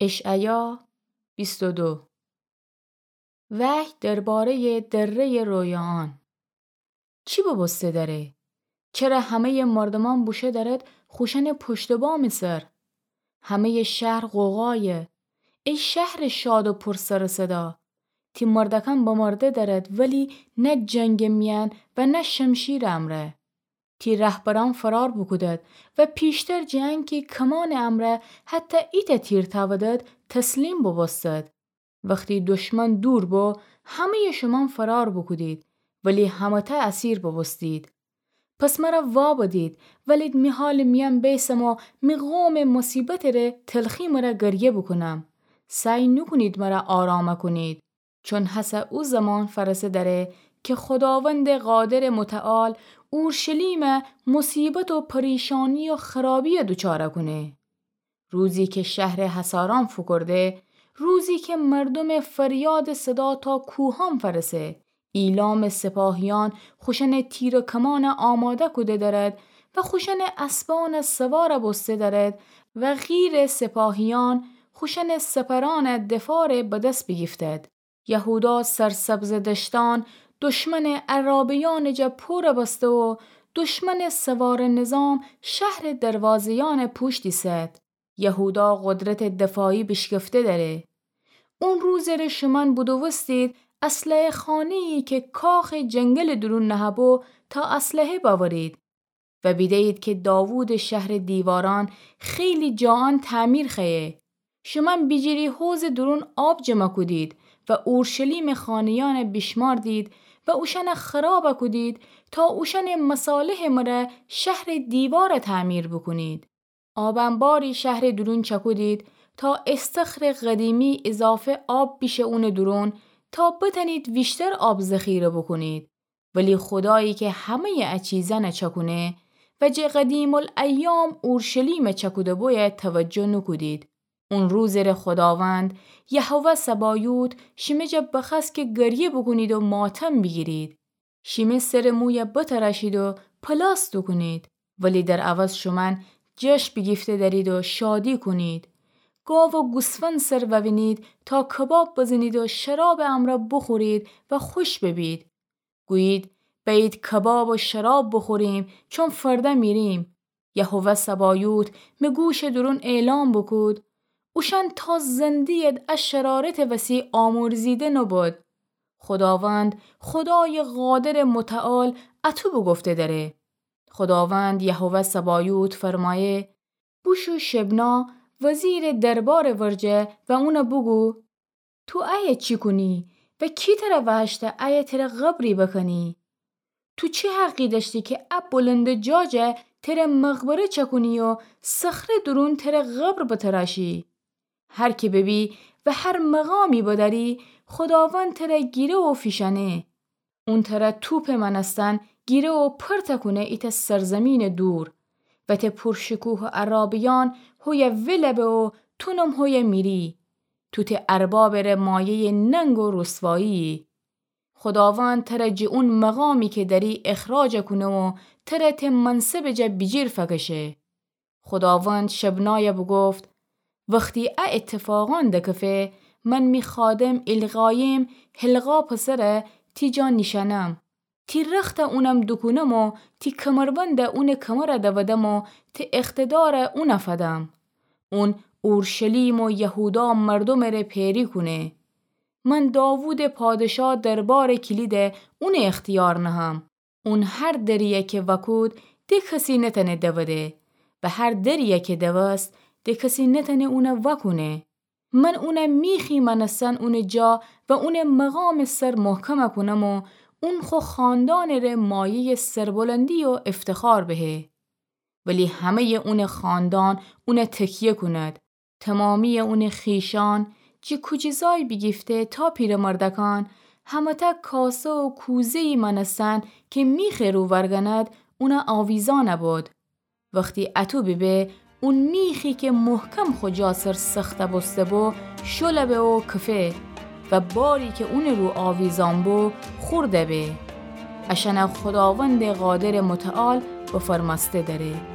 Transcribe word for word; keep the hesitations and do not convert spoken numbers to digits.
اشعیا بیست و دو. وحی دربارهٔ درهٔ رویاان. چی ببوسته دره؟ چره همهٔ مردومأن بوشو درد خوشأنٚ پشت و بامٚ سر؟ همهٔ شهر غوغایه. ای شهرٚ شاد و پر سر و صدا، تی مردکأن بمرده درد، ولی نه جنگٚ میأن و نه شمشیرٚ امرأ. تی رهبرأن فرار بوکودد و پیشتر جٚه انکی کمانٚ امرأ حتی ایتأ تیر تأودد، تسلیم بوبوستد. وختی دشمن دور بو، همهٔ شومأن فرار بوکودید، ولی همه‌تأ اسیر بوبوستید. پس مرا وا بدید، ولید می حالٚ میأن بیسم و می قومٚ مصیبتٚ ره تلخی مره گریه بوکونم. سعی نوکونید مرا آرام کونید. چون هسه او زمان فرسه دره که خوداوندٚ قادرٚ متعال اورشلیم مصیبت و پریشانی و خرابی دوچار کونه. روزی که شهرٚ حصارأن فوکورده، روزی که مردومٚ فریادٚ صدا تا کوهأن فرسه، ایلامٚ سپاهیأن خوشأنٚ تیر و کمان آماده کوده درد و خوشأنٚ اسبأن سوار بوسته درد و غیرٚ سپاهیأن خوشأنٚ سپرأن دفار به دس بیگیفتد. یهودا سرسبزٚ دشتأن دشمنٚ عرابه‌یأنٚ جا پور بسته و دشمنٚ سوارٚ نظام شهرٚ دروازه‌یأن پوشت ایسد. یهودا قدرتٚ دفاعی بیشکفته دره. اون روزٚ ره شومأن بودوستید اسلحه‌خانه‌یی که کاخٚ جنگلٚ دورون نهه‌بو تا اسلحه بأورید. و بیده‌یید که داوودٚ شهرٚ دیوارأن خیلی جاأن تعمیر خوأیه. شومأن بیجیری حوضٚ دورون آب جمع کودید و اورشلیمٚ خانه‌یأن بیشماردید و اوشأن خراب کودید تا اوشأنٚ مصالحٚ مره شهرٚ دیوار تعمیر بوکونید. آب انباری شهرٚ دورون چکودید تا استخرٚ قدیمی اضافه آب بیشه اونٚ دورون تا بتأنید ویشتر آب ذخیره بوکونید. ولی خودایی که همه‌یٚ ا چیزأن چکونه و جٚه قدیم‌الایام اورشلیم چکوده بویه توجه نوکودید. اون روزٚ ره خوداوند، یهوه سبایوت، شیمه جا بخوأست که گریه بوکونید و ماتم بیگیرید. شیمه سرٚ موی بتراشید و پلاس دوکونید، ولی در عوض شومأن جشن بیگیفته درید و شادی کونید. گاو و گوسفند سر ووینید تا کباب بزنید و شرابٚ امرأ بوخورید و خوش ببید. گویید: بأیید کباب و شراب بوخوریم، چون فرده میریم. یهوه سبایوت می گوشٚ دورون اعلام بوکود: اوشأن تا زنده‌ید ا شرارتٚ وسی آمرزیده نوبود. خوداوند، خودایٚ قادرٚ متعال اتو بوگفته دره. خوداوند یهوه سبایوت فرمایه: بوشو شبنا وزیرٚ دربارٚ ورجه و اون بوگو: تو ایه چی کونی و کی تر وهشته ایه تر قبری بکنی؟ تو چی حقی دأشتی که ا بلندٚ جا جا تر مقبره چکونی و صخره دورون تر قبر بتراشی؟ هر که ببی و هر مقامی بدأری، خوداوند تر گیره و فیشأنه. اون تر توپٚ مأنستن گیره و پرت کونه ایتأ سرزیمینٚ دور و ته پورشکوه و عرابه‌یأن هویه ول به و تونم هویه میری. تو ته اربابٚ ره مایه‌یٚ ننگ و رسوایی‌یی. خوداوند تر جٚه اون مقامی که دأری اخراج کونه و تر ته منصبٚ جا بیجیر فکشه. خوداوند شبنای بوگفت: وختی ا اتفاقأن دکفه، من می خادم ایلقایم حلقا پسر تی جا نیشأنم. تی رخت اونم دوکونم و تی کمربند اونٚ کمر دودم و تی اقتدار اون فدم. اون اورشلیم و یهودا مردومٚ ره پیری کونه. من داوودٚ پادشا دربارٚ کلید اونٚ اختیار نهم. اون هر دریی که وأکود، ده کسی نتأنه دوده و هر دریی که دوست، ده کسی نتأنه اون وأکونه. من اون میخی مأنستن اونٚ جا و اونٚ مقامٚ سر محکم کونم و اون خو خاندانٚ ره مایه‌یٚ سربلندی و افتخار بهه. ولی همه‌یٚ اونٚ خاندان اون تکیه کونید. تمامی‌یٚ اونٚ خویشأن، جٚه کوجیزای بیگیفته تا پیرمردکأن، همه‌تأ کاسه و کوزه‌یی مأنستن که میخٚ رو ورگند، اون آویزأن بود. وختی اتو بیبه، اون میخی که محکم خو جا سر سخت بوسته بو، شل به و کفه و باری که اونٚ رو آویزأن بو، خورد به. اشأن خوداوندٚ قادرٚ متعال بفرمأسته دره.